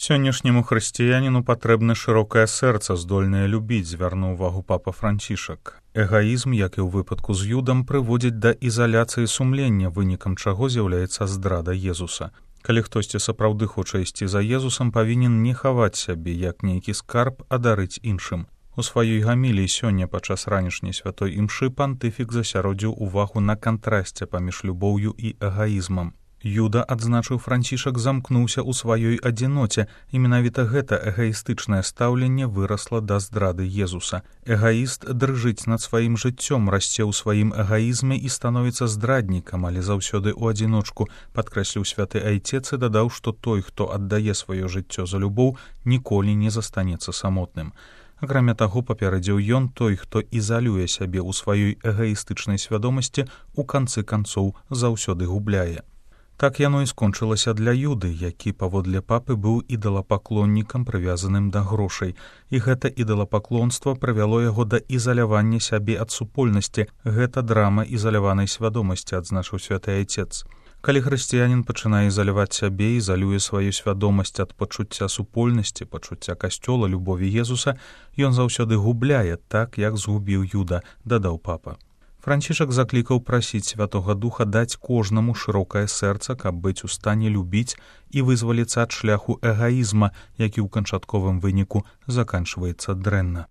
Сённяшняму хрысціяніну патрэбна шырокае сэрца, здольнае любіць, звярнуў увагу папа Францішак. Эгаізм, як і ў выпадку з Юдам, прыводзіць да ізаляцыі сумлення, вынікам чаго з'яўляецца здрада Езуса. Калі хтосьці сапраўды хоча ісці за Езусам, павінен не хаваць сябе, як нейкі скарб, а дарыць іншым. У сваёй гаміліі сёння падчас ранішняй святой імшы пантыфік засяродзіў увагу на кантрасце паміж любоўю і эгаізмам. Юда, адзначыў Францішак, замкнуўся ў сваёй адзіноце, і менавіта гэта эгаістычнае стаўленне вырасла да здрады Езуса. Эгаіст дрыжыць над сваім жыццём, расце ў сваім эгаізме і становіцца здраднікам, але заўсёды ў адзіночку, падкрэсліў святы айцец і дадаў, што той, хто аддае сваё жыццё за любоў, ніколі не застанецца самотным. Акрамя таго, папярэдзіў ён, той, хто ізалюе сябе ў сваёй эгаістычнай свядомасці, у канцы канцоў заўсёды губляе. Так яно і скончылася для Юды, які, паводле папы, быў ідалапаклоннікам, прывязаным да грошай. І гэта ідалапаклонства прывяло яго да ізалявання сябе ад супольнасці. Гэта драма ізаляванай свядомасці, адзначыў святы айцец. Калі хрысціянін пачынае ізаляваць сябе, ізалюе сваю свядомасць ад пачуцця супольнасці, пачуцця касцёла, любові Езуса, ён заўсёды губляе, так, як згубіў Юда, дадаў папа. Францішак заклікаў прасіць Святога Духа даць кожнаму шырокае сэрца, каб быць у стане любіць і вызваліцца ад шляху эгаізма, які ў канчатковым выніку заканчваецца дрэнна.